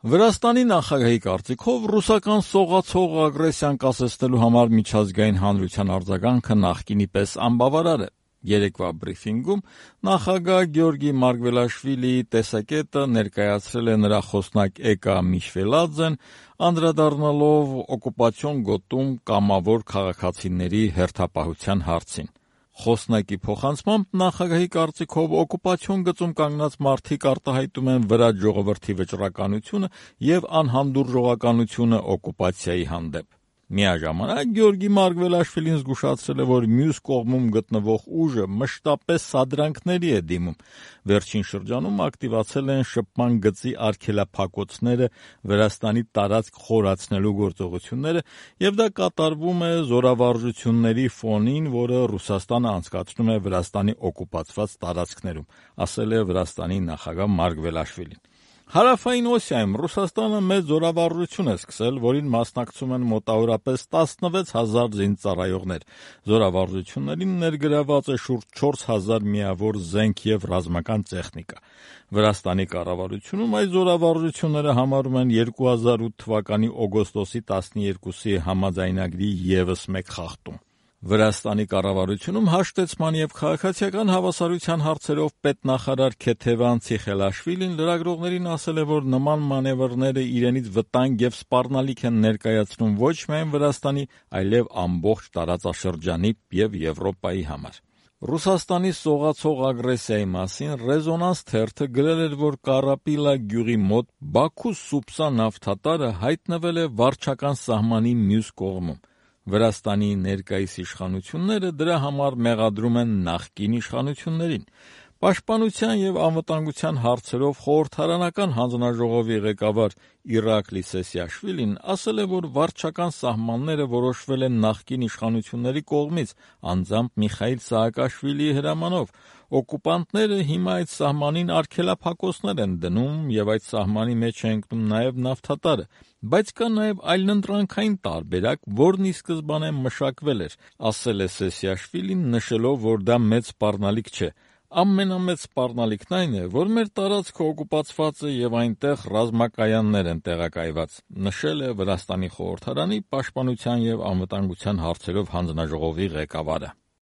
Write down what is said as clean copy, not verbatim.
Վրաստանի նախագահի կարծիքով ռուսական սողացող ագրեսիան կասեցնելու համար միջազգային հանրության արձագանքը նախկինի պես անբավարար է։ Երեկվա բրիֆինգում նախագահ Գեորգի Մարգվելաշվիլիի տեսակետը ներկայացրել է նրա խոսնակ Էկա Միշվելաձեն, անդրադառնալով օկուպացիոն գոտում կամավոր քաղաքացիների հերթապահության հարցին։ Խոսնակի փոխանցմամբ նախագահի կարծիքով օկուպացիոն գծում կանգնած մարդիկ արտահայտում են վրա ժողովրդի վճռականությունը և անհանդուրժողականությունը օկուպացիայի հանդեպ։ Միաժամանակ Գեորգի Մարգվելաշվիլին զգուշացրել է, որ մյուս կողմում գտնվող ուժը մշտապես սադրանքների է դիմում։ Վերջին շրջանում ակտիվացել են շփման գծի արգելափակոցները Վրաստանի տարածք խորացնելու գործողությունները, և դա կատարվում է զորավարժությունների ֆոնին, որը Ռուսաստանը անցկացնում է Վրաստանի օկուպացված տարածքներում, ասել է Վրաստանի նախագահ Մարգվելաշվիլին։ Հարավային Օսիայում Ռուսաստանը մեծ զորավարժություն է սկսել, որին մասնակցում են մոտավորապես 16,000 զինծառայողներ։ Զորավարժություններին ներգրաված է շուրջ 4,000 միավոր զենք և ռազմական տեխնիկա։ Վրաստանի կառավարությունում այս զորավարժությունները համարում են 2008 թվականի օգոստոսի 12-ի համաձայնագրի ևս մեկ խախտում։ Վրաստանի կառավարությունում հաշտեցման և քաղաքացիական հավասարության հարցերով պետնախարար Քեթևան Ցիխելաշվիլին լրագրողներին ասել է, որ նման մանևրները իրենից վտանգ և սպառնալիք են ներկայացնում ոչ միայն Վրաստանի, այլև ամբողջ տարածաշրջանի և Եվրոպայի համար։ Ռուսաստանի սողացող ագրեսիայի մասին «Ռեզոնանս» թերթը գրել էր, որ Կարապիլա գյուղի մոտ Բաքու-Սուպսա նավթատարը հայտնվել է վարչական սահմանի մյուս կողմում։ Վրաստանի ներկայիս իշխանությունները դրա համար մեղադրում են նախկին իշխանություններին։ Պաշտպանության և անվտանգության հարցերով խորհրդարանական հանձնաժողովի ղեկավար Իրակլի Սեսիաշվիլին ասել է, որ վարչական սահմանները որոշվել են նախկին իշխանությունների կողմից, անձամբ Միխայիլ Սահակաշվիլիի հրամանով։ Օկուպանտները հիմա այդ սահմանին արգելափակոցներ են դնում, և այդ սահմանի մեջ է ընկնում նաև նավթատարը։ Բայց կա նաև այլընտրանքային տարբերակ, որն ի սկզբանե մշակվել էր, ասել է Սեսիաշվիլին, նշելով, որ դա մեծ սպառնալիք չէ։ Ամենամեծ սպառնալիքն այն է, որ մեր տարածքը օկուպացված է և այնտեղ ռազմակայաններ են տեղակայված, նշել է Վրաստանի խորհրդարանի պաշտպանության և անվտանգության հարցերով հանձնաժողովի ղեկավարը։